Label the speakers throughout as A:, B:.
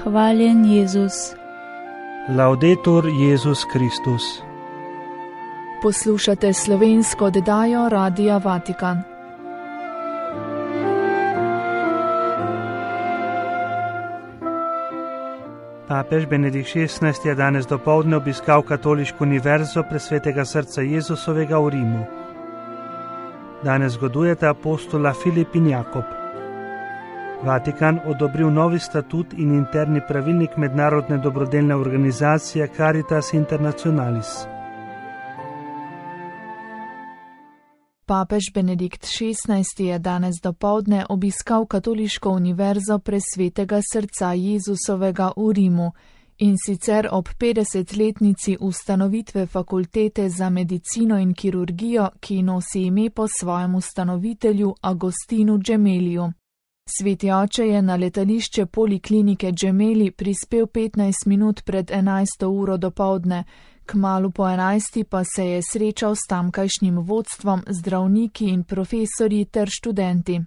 A: Hvaljen Jezus.
B: Laudetur Jezus Kristus.
C: Poslušate slovensko oddajo Radia Vatikan.
B: Papež Benedikt XVI je danes dopoldne obiskal Katoliško univerzo Presvetega srca Jezusovega v Rimu. Danes zgodujeta apostola Filip in Jakob. Vatikan odobril novi statut in interni pravilnik mednarodne dobrodelne organizacije Caritas Internationalis.
C: Papež Benedikt XVI je danes dopoldne obiskal Katoliško univerzo Presvetega srca Jezusovega v Rimu, in sicer ob 50-letnici ustanovitve fakultete za medicino in kirurgijo, ki nosi ime po svojem ustanovitelju Agostinu Gemeliju. Sveti oče je na letališče poliklinike Gemelli prispel 15 minut pred 11. uro dopoldne, kmalu po 11. pa se je srečal s tamkajšnjim vodstvom, zdravniki in profesorji ter študenti.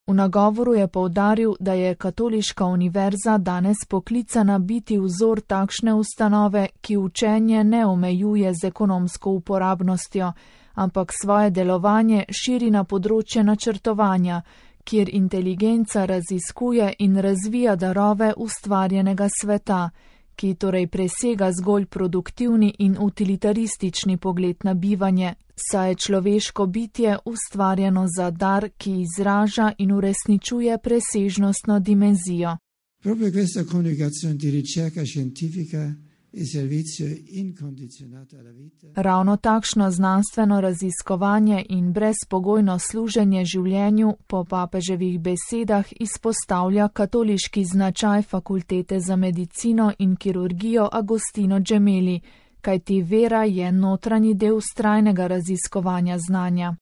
C: V nagovoru je poudaril, da je Katoliška univerza danes poklicana biti vzor takšne ustanove, ki učenje ne omejuje z ekonomsko uporabnostjo, ampak svoje delovanje širi na področje načrtovanja, kjer inteligenca raziskuje in razvija darove ustvarjenega sveta, ki torej presega zgolj produktivni in utilitaristični pogled na bivanje, saj je človeško bitje ustvarjeno za dar, ki izraža in uresničuje presežnostno dimenzijo.
D: Proprio questa coniugazione di ricerca scientifica e servizio incondizionato alla vita.
C: Ravno takšno znanstveno raziskovanje in brezpogojno služenje življenju po papeževih besedah izpostavlja katoliški značaj fakultete za medicino in kirurgijo Agostino Gemelli, kajti vera je notranji del vztrajnega raziskovanja znanja.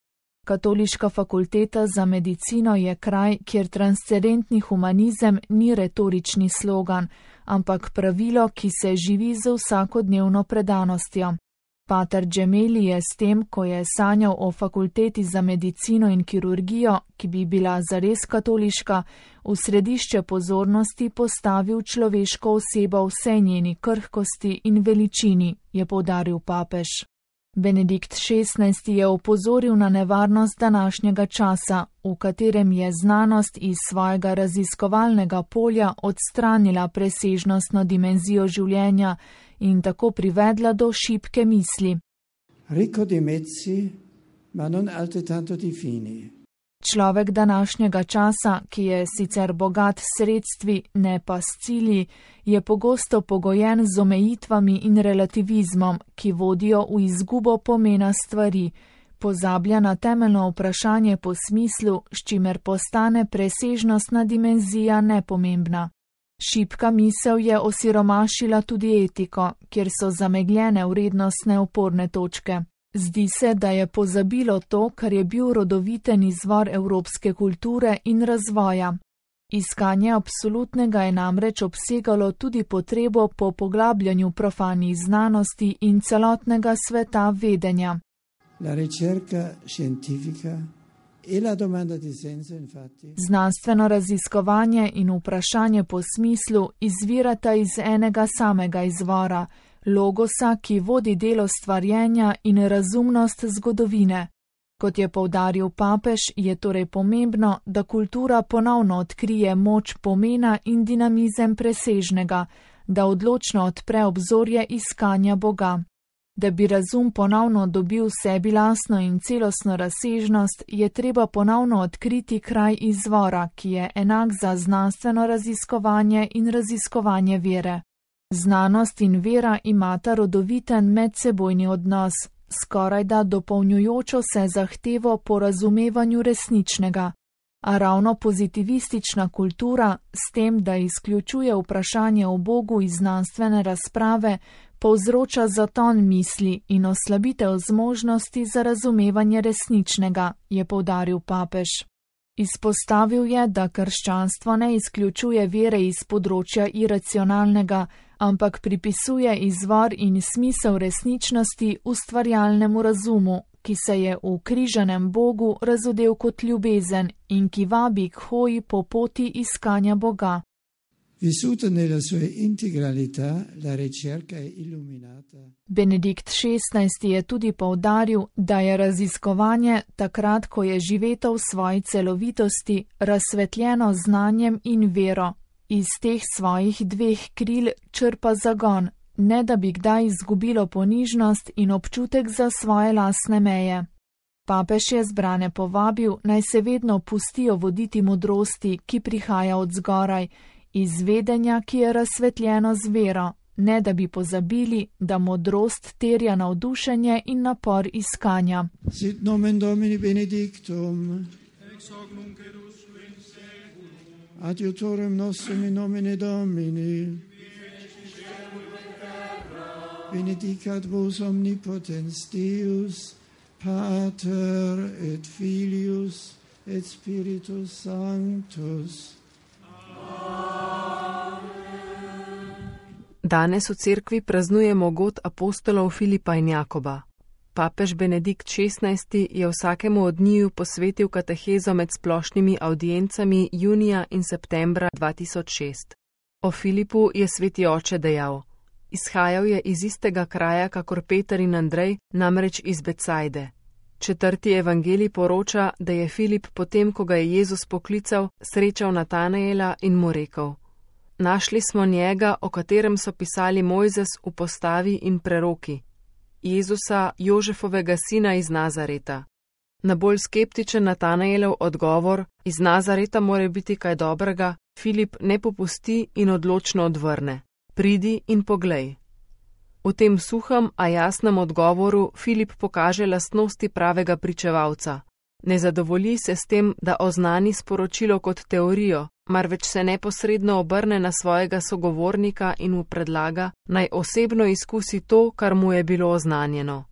C: Katoliška fakulteta za medicino je kraj, kjer transcendentni humanizem ni retorični slogan, ampak pravilo, ki se živi z vsakodnevno predanostjo. Pater Gemelli je s tem, ko je sanjal o fakulteti za medicino in kirurgijo, ki bi bila zares katoliška, v središče pozornosti postavil človeško osebo v vsej njeni krhkosti in veličini, je poudaril papež. Benedikt XVI je opozoril na nevarnost današnjega časa, v katerem je znanost iz svojega raziskovalnega polja odstranila presežnostno dimenzijo življenja in tako privedla do šibke misli.
D: Ricco di mezzi, ma non altrettanto di fini.
C: Človek današnjega časa, ki je sicer bogat s sredstvi, ne pa s cilji, je pogosto pogojen z omejitvami in relativizmom, ki vodijo v izgubo pomena stvari, pozablja na temeljno vprašanje po smislu, s čimer postane presežnostna dimenzija nepomembna. Šibka misel je osiromašila tudi etiko, kjer so zamegljene vrednostne oporne točke. Zdi se, da je pozabilo to, kar je bil rodoviten izvor evropske kulture in razvoja. Iskanje absolutnega je namreč obsegalo tudi potrebo po poglabljanju profanih znanosti in celotnega sveta vedenja.
D: La ricerca scientifica e la domanda di senso, infatti.
C: Znanstveno raziskovanje in vprašanje po smislu izvirata iz enega samega izvora, logosa, ki vodi delo stvarjenja in razumnost zgodovine. Kot je poudaril papež, je torej pomembno, da kultura ponovno odkrije moč pomena in dinamizem presežnega, da odločno odpre obzorje iskanja Boga. Da bi razum ponovno dobil sebi lastno in celostno razsežnost, je treba ponovno odkriti kraj izvora, ki je enak za znanstveno raziskovanje in raziskovanje vere. Znanost in vera imata rodoviten medsebojni odnos, skorajda dopolnjujočo se zahtevo po razumevanju resničnega. A ravno pozitivistična kultura, s tem, da izključuje vprašanje o Bogu iz znanstvene razprave, povzroča zaton misli in oslabitev zmožnosti za razumevanje resničnega, je poudaril papež. Izpostavil je, da krščanstvo ne izključuje vere iz področja iracionalnega, ampak pripisuje izvor in smisel resničnosti ustvarjalnemu razumu, ki se je v križanem Bogu razodel kot ljubezen in ki vabi k hoji po poti iskanja Boga.
D: Vissuta nella sua integralità, la ricerca è illuminata.
C: Benedikt XVI je tudi poudaril, da je raziskovanje takrat, ko je živeto v svoji celovitosti, razsvetljeno znanjem in vero. Iz teh svojih dveh kril črpa zagon, ne da bi kdaj izgubilo ponižnost in občutek za svoje lastne meje. Papež je zbrane povabil, naj se vedno pustijo voditi modrosti, ki prihaja od zgoraj, iz vedenja, ki je razsvetljeno z vero, ne da bi pozabili, da modrost terja navdušenje in napor iskanja.
D: Sit nomen Domini benedictum.
A: Ex hoc nunc et usque in seculum.
D: Adiutorem nostrum in nomine Domini. Benedicat vos omnipotens Deus, Pater et Filius et Spiritus Sanctus.
E: Danes v cerkvi praznujemo god apostolov Filipa in Jakoba. Papež Benedikt XVI je vsakemu od njiju posvetil katehezo med splošnimi audiencami junija in septembra 2006. O Filipu je sveti oče dejal: izhajal je iz istega kraja kakor Peter in Andrej, namreč iz Becajde. 4. evangelij poroča, da je Filip potem, ko ga je Jezus poklical, srečal Natanaela in mu rekel: našli smo njega, o katerem so pisali Mojzes v postavi in preroki, Jezusa, Jožefovega sina iz Nazareta. Na bolj skeptičen Natanaelov odgovor, iz Nazareta mora biti kaj dobrega, Filip ne popusti in odločno odvrne: pridi in poglej. V tem suhem, a jasnem odgovoru Filip pokaže lastnosti pravega pričevalca. Ne zadovolji se s tem, da oznani sporočilo kot teorijo, marveč se neposredno obrne na svojega sogovornika in mu predlaga, naj osebno izkusi to, kar mu je bilo oznanjeno.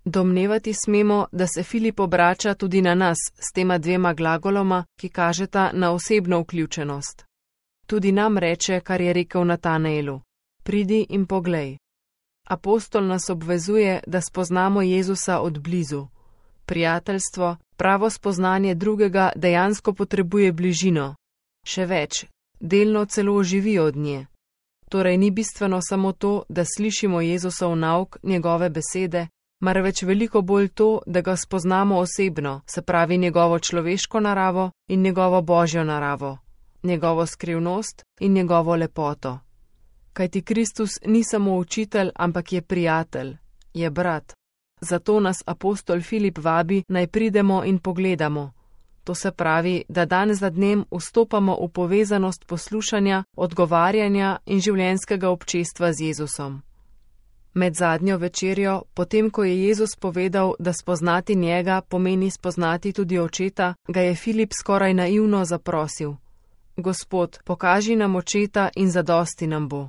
E: Domnevati smemo, da se Filip obrača tudi na nas s tema dvema glagoloma, ki kažeta na osebno vključenost. Tudi nam reče, kar je rekel Natanaelu: pridi in poglej. Apostol nas obvezuje, da spoznamo Jezusa od blizu. Prijateljstvo, pravo spoznanje drugega dejansko potrebuje bližino. Še več, delno celo živi od nje. Torej ni bistveno samo to, da slišimo Jezusov nauk, njegove besede, marveč veliko bolj to, da ga spoznamo osebno, se pravi njegovo človeško naravo in njegovo božjo naravo, njegovo skrivnost in njegovo lepoto. Kajti Kristus ni samo učitelj, ampak je prijatelj, je brat. Zato nas apostol Filip vabi, naj pridemo in pogledamo. To se pravi, da dan za dnem vstopamo v povezanost poslušanja, odgovarjanja in življenjskega občestva z Jezusom. Med zadnjo večerjo, potem ko je Jezus povedal, da spoznati njega pomeni spoznati tudi očeta, ga je Filip skoraj naivno zaprosil: Gospod, pokaži nam očeta in zadosti nam bo.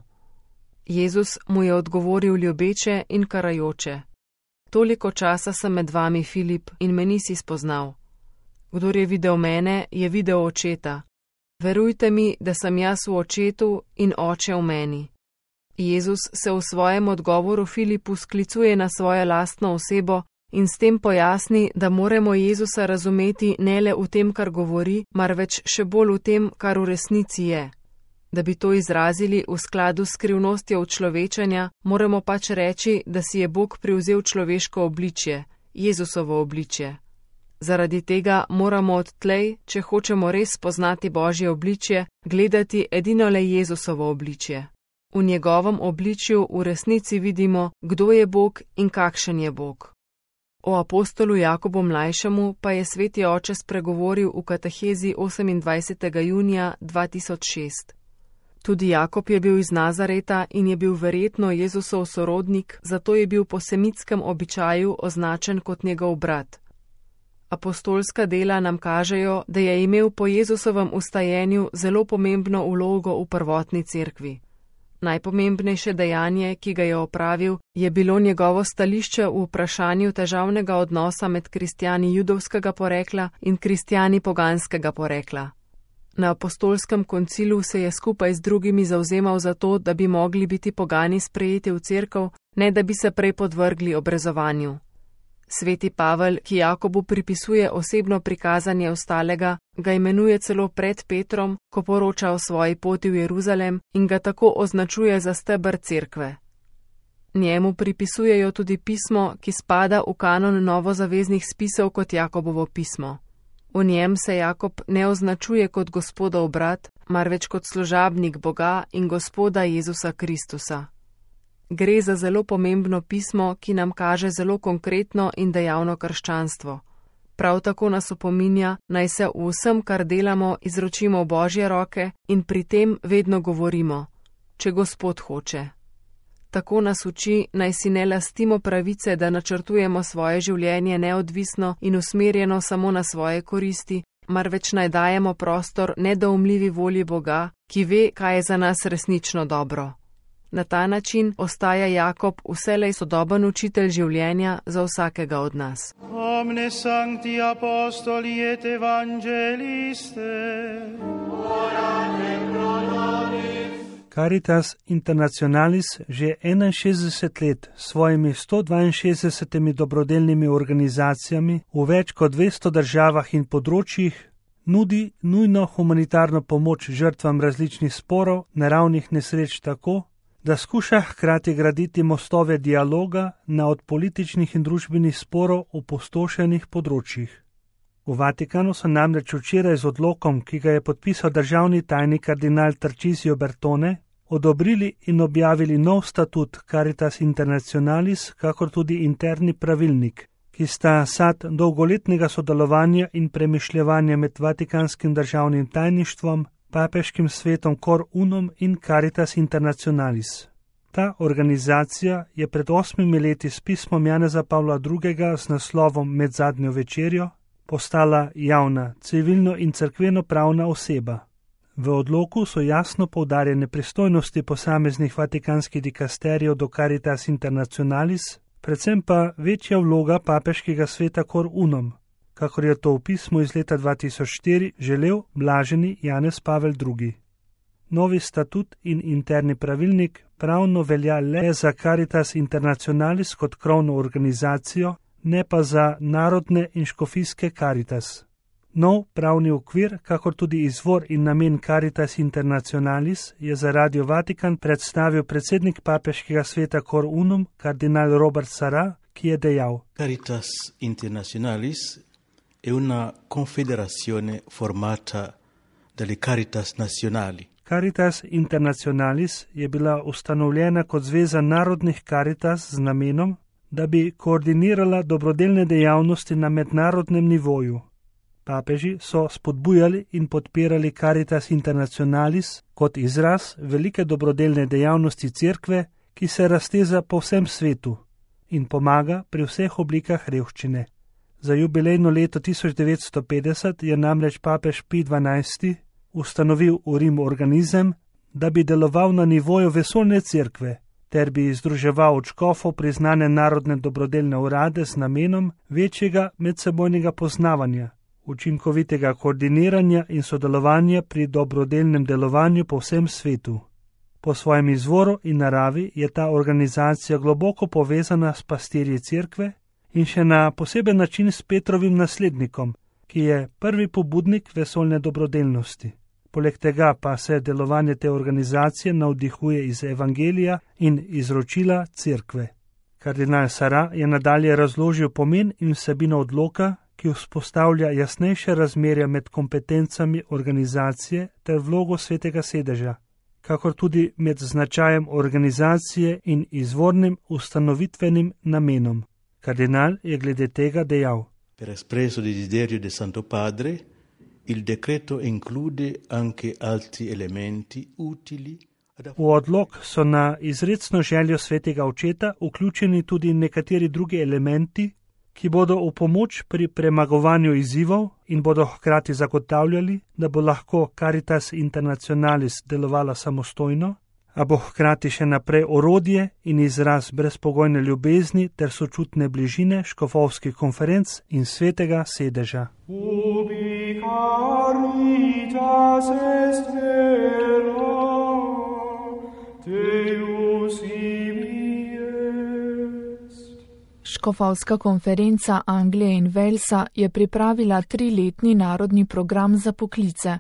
E: Jezus mu je odgovoril ljubeče in karajoče: toliko časa sem med vami, Filip, in me nisi spoznal. Kdor je videl mene, je videl očeta. Verujte mi, da sem jaz v očetu in oče v meni. Jezus se v svojem odgovoru Filipu sklicuje na svojo lastno osebo in s tem pojasni, da moramo Jezusa razumeti ne le v tem, kar govori, marveč še bolj v tem, kar v resnici je. Da bi to izrazili v skladu s skrivnostjo učlovečanja, moramo pač reči, da si je Bog privzel človeško obličje, Jezusovo obličje. Zaradi tega moramo odtlej, če hočemo res spoznati Božje obličje, gledati edino le Jezusovo obličje. V njegovem obličju v resnici vidimo, kdo je Bog in kakšen je Bog. O apostolu Jakobu mlajšemu pa je sveti oče spregovoril v katehezi 28. junija 2006. Tudi Jakob je bil iz Nazareta in je bil verjetno Jezusov sorodnik, zato je bil po semitskem običaju označen kot njegov brat. Apostolska dela nam kažejo, da je imel po Jezusovem ustajenju zelo pomembno vlogo v prvotni cerkvi. Najpomembnejše dejanje, ki ga je opravil, je bilo njegovo stališče v vprašanju težavnega odnosa med kristjani judovskega porekla in kristjani poganskega porekla. Na apostolskem koncilu se je skupaj z drugimi zavzemal za to, da bi mogli biti pogani sprejeti v cerkev, ne da bi se prej podvrgli obrezovanju. Sveti Pavel, ki Jakobu pripisuje osebno prikazanje ostalega, ga imenuje celo pred Petrom, ko poroča o svoji poti v Jeruzalem in ga tako označuje za steber cerkve. Njemu pripisujejo tudi pismo, ki spada v kanon novozaveznih spisov kot Jakobovo pismo. V njem se Jakob ne označuje kot Gospodov brat, marveč kot služabnik Boga in Gospoda Jezusa Kristusa. Gre za zelo pomembno pismo, ki nam kaže zelo konkretno in dejavno krščanstvo. Prav tako nas opominja, naj se v vsem, kar delamo, izročimo v Božje roke in pri tem vedno govorimo, če Gospod hoče. Tako nas uči, naj si ne lastimo pravice, da načrtujemo svoje življenje neodvisno in usmerjeno samo na svoje koristi, marveč naj dajemo prostor nedoumljivi volji Boga, ki ve, kaj je za nas resnično dobro. Na ta način ostaja Jakob vselej sodoben učitelj življenja za vsakega od nas.
A: Omne sancti apostoli et evangeliste, orate pro nobis.
B: Caritas Internationalis že 61 let s svojimi 162 dobrodelnimi organizacijami v več kot 200 državah in področjih nudi nujno humanitarno pomoč žrtvam različnih sporov, naravnih nesreč tako, da skuša hkrati graditi mostove dialoga na od političnih in družbenih sporov opustošenih področjih. V Vatikanu so namreč včeraj z odlokom, ki ga je podpisal državni tajnik kardinal Tarcisio Bertone, odobrili in objavili nov statut Caritas Internationalis, kakor tudi interni pravilnik, ki sta sad dolgoletnega sodelovanja in premišljevanja med Vatikanskim državnim tajništvom, papeškim svetom Cor Unum in Caritas Internationalis. Ta organizacija je pred 8 leti s pismom Janeza Pavla II. Z naslovom Med zadnjo večerjo postala javna, civilno in cerkveno-pravna oseba. V odloku so jasno poudarjene pristojnosti posameznih vatikanskih dikasterijev do Caritas Internationalis, predvsem pa večja vloga papeškega sveta Cor Unum, kakor je to v pismu iz leta 2004 želel blaženi Janez Pavel II. Novi statut in interni pravilnik pravno velja le za Caritas Internationalis kot krovno organizacijo, ne pa za narodne in škofijske Caritas. Nov pravni okvir, kakor tudi izvor in namen Caritas Internationalis, je za Radio Vatikan predstavil predsednik papeškega sveta Cor Unum, kardinal Robert Sarah, ki je dejal:
F: Caritas Internationalis è una confederazione formata dalle Caritas nazionali.
B: Caritas Internationalis je bila ustanovljena kot zveza narodnih Caritas z namenom, da bi koordinirala dobrodelne dejavnosti na mednarodnem nivoju. Papeži so spodbujali in podpirali Caritas Internationalis kot izraz velike dobrodelne dejavnosti cerkve, ki se razteza po vsem svetu in pomaga pri vseh oblikah revščine. Za jubilejno leto 1950 je namreč papež Pij XII. Ustanovil v Rimu organizem, da bi deloval na nivoju vesoljne cerkve, ter bi združeval od škofov priznane narodne dobrodelne urade z namenom večjega medsebojnega poznavanja, učinkovitega koordiniranja in sodelovanja pri dobrodelnem delovanju po vsem svetu. Po svojem izvoru in naravi je ta organizacija globoko povezana s pastirji cerkve in še na poseben način s Petrovim naslednikom, ki je prvi pobudnik vesoljne dobrodelnosti. Poleg tega pa se delovanje te organizacije navdihuje iz evangelija in izročila cerkve. Kardinal Sarah je nadalje razložil pomen in vsebino odloka, ki vzpostavlja jasnejše razmerja med kompetencami organizacije ter vlogo svetega sedeža, kakor tudi med značajem organizacije in izvornim ustanovitvenim namenom. Kardinal je glede tega dejal:
F: Per espresso desiderio del Santo Padre, il decreto include anche altri elementi utili.
B: V odlok so na izrecno željo svetega očeta vključeni tudi nekateri drugi elementi, ki bodo v pomoč pri premagovanju izzivov in bodo hkrati zagotavljali, da bo lahko Caritas Internationalis delovala samostojno, a bo hkrati še naprej orodje in izraz brezpogojne ljubezni ter sočutne bližine škofovskih konferenc in svetega sedeža.
A: Ubi caritas est vera, Deus ibi est.
C: Škofovska konferenca Anglije in Walesa je pripravila 3-letni narodni program za poklice.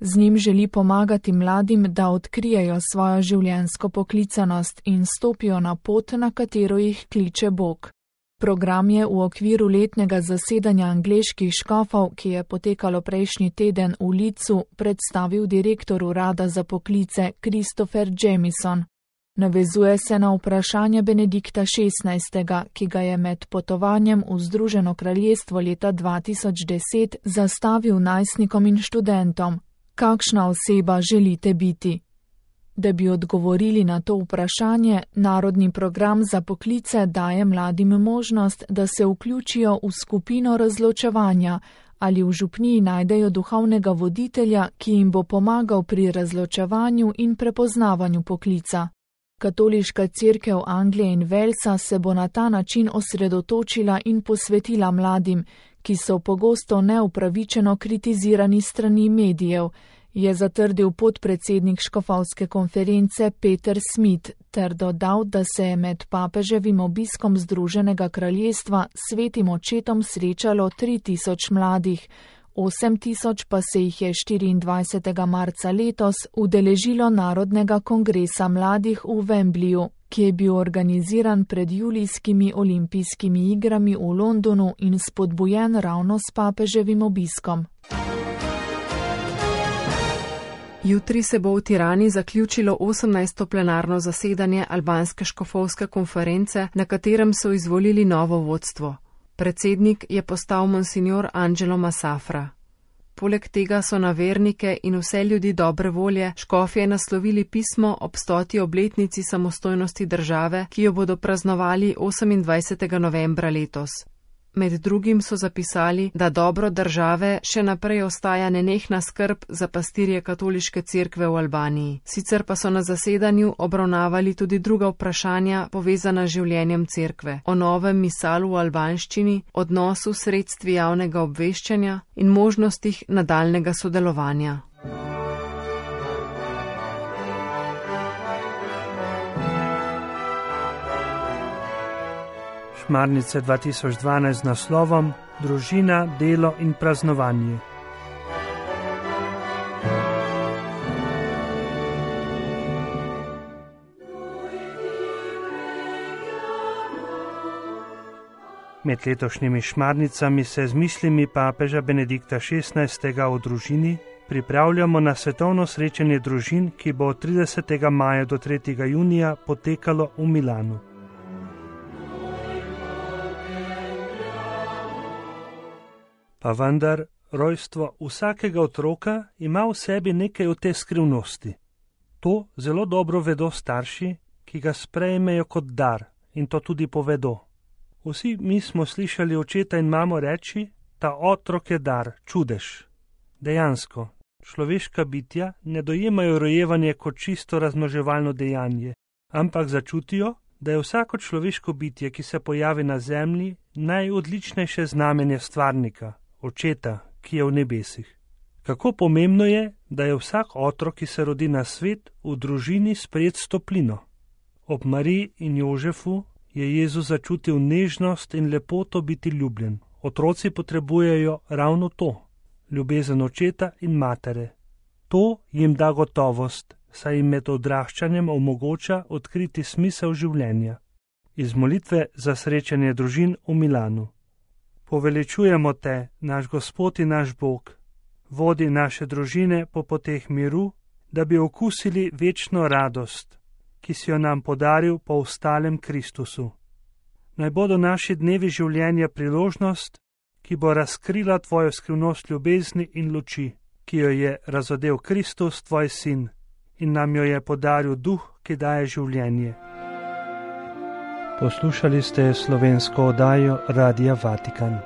C: Z njim želi pomagati mladim, da odkrijejo svojo življenjsko poklicanost in stopijo na pot, na katero jih kliče Bog. Program je v okviru letnega zasedanja angleških škofov, ki je potekalo prejšnji teden v Leedsu, predstavil direktor urada za poklice Christopher Jamieson. Navezuje se na vprašanje Benedikta XVI., ki ga je med potovanjem v Združeno kraljestvo leta 2010 zastavil najstnikom in študentom: kakšna oseba želite biti? Da bi odgovorili na to vprašanje, narodni program za poklice daje mladim možnost, da se vključijo v skupino razločevanja ali v župniji najdejo duhovnega voditelja, ki jim bo pomagal pri razločevanju in prepoznavanju poklica. Katoliška cerkev Anglije in Walesa se bo na ta način osredotočila in posvetila mladim, ki so pogosto neupravičeno kritizirani strani medijev, je zatrdil podpredsednik Škofovske konference Peter Smith ter dodal, da se je med papeževim obiskom Združenega kraljestva svetim očetom srečalo 3000 mladih, 8000 pa se jih je 24. marca letos udeležilo Narodnega kongresa mladih v Wembleyju, ki je bil organiziran pred julijskimi olimpijskimi igrami v Londonu in spodbujen ravno s papeževim obiskom.
E: Jutri se bo v Tirani zaključilo 18. plenarno zasedanje albanske škofovske konference, na katerem so izvolili novo vodstvo. Predsednik je postal monsignor Angelo Masafra. Poleg tega so na vernike in vse ljudi dobre volje škofje naslovili pismo ob 100. obletnici samostojnosti države, ki jo bodo praznovali 28. novembra letos. Med drugim so zapisali, da dobro države še naprej ostaja nenehna skrb za pastirje katoliške cerkve v Albaniji. Sicer pa so na zasedanju obravnavali tudi druga vprašanja povezana z življenjem cerkve, o novem misalu v albanščini, odnosu sredstvi javnega obveščanja in možnostih nadaljnega sodelovanja.
B: Šmarnice 2012 z naslovom Družina, delo in praznovanje. Med letošnjimi šmarnicami se z mislimi papeža Benedikta XVI. O družini pripravljamo na svetovno srečanje družin, ki bo od 30. maja do 3. junija potekalo v Milanu. Pa vendar, rojstvo vsakega otroka ima v sebi nekaj od te skrivnosti. To zelo dobro vedo starši, ki ga sprejmejo kot dar, in to tudi povedo. Vsi mi smo slišali očeta in mamo reči, ta otrok je dar, čudež. Dejansko, človeška bitja ne dojemajo rojevanje kot čisto razmnoževalno dejanje, ampak začutijo, da je vsako človeško bitje, ki se pojavi na zemlji, najodličnejše znamenje stvarnika, očeta, ki je v nebesih. Kako pomembno je, da je vsak otrok, ki se rodi na svet, v družini sprejet s toplino. Ob Mariji in Jožefu je Jezus začutil nežnost in lepoto biti ljubljen. Otroci potrebujejo ravno to, ljubezen očeta in matere. To jim da gotovost, saj jim med odraščanjem omogoča odkriti smisel življenja. Iz molitve za srečanje družin v Milanu. Poveličujemo te, naš Gospod in naš Bog, vodi naše družine po poteh miru, da bi okusili večno radost, ki si jo nam podaril po vstalem Kristusu. Naj bodo naši dnevi življenja priložnost, ki bo razkrila tvojo skrivnost ljubezni in luči, ki jo je razodel Kristus, tvoj sin, in nam jo je podaril duh, ki daje življenje. Poslušali ste slovensko oddajo Radia Vatikan.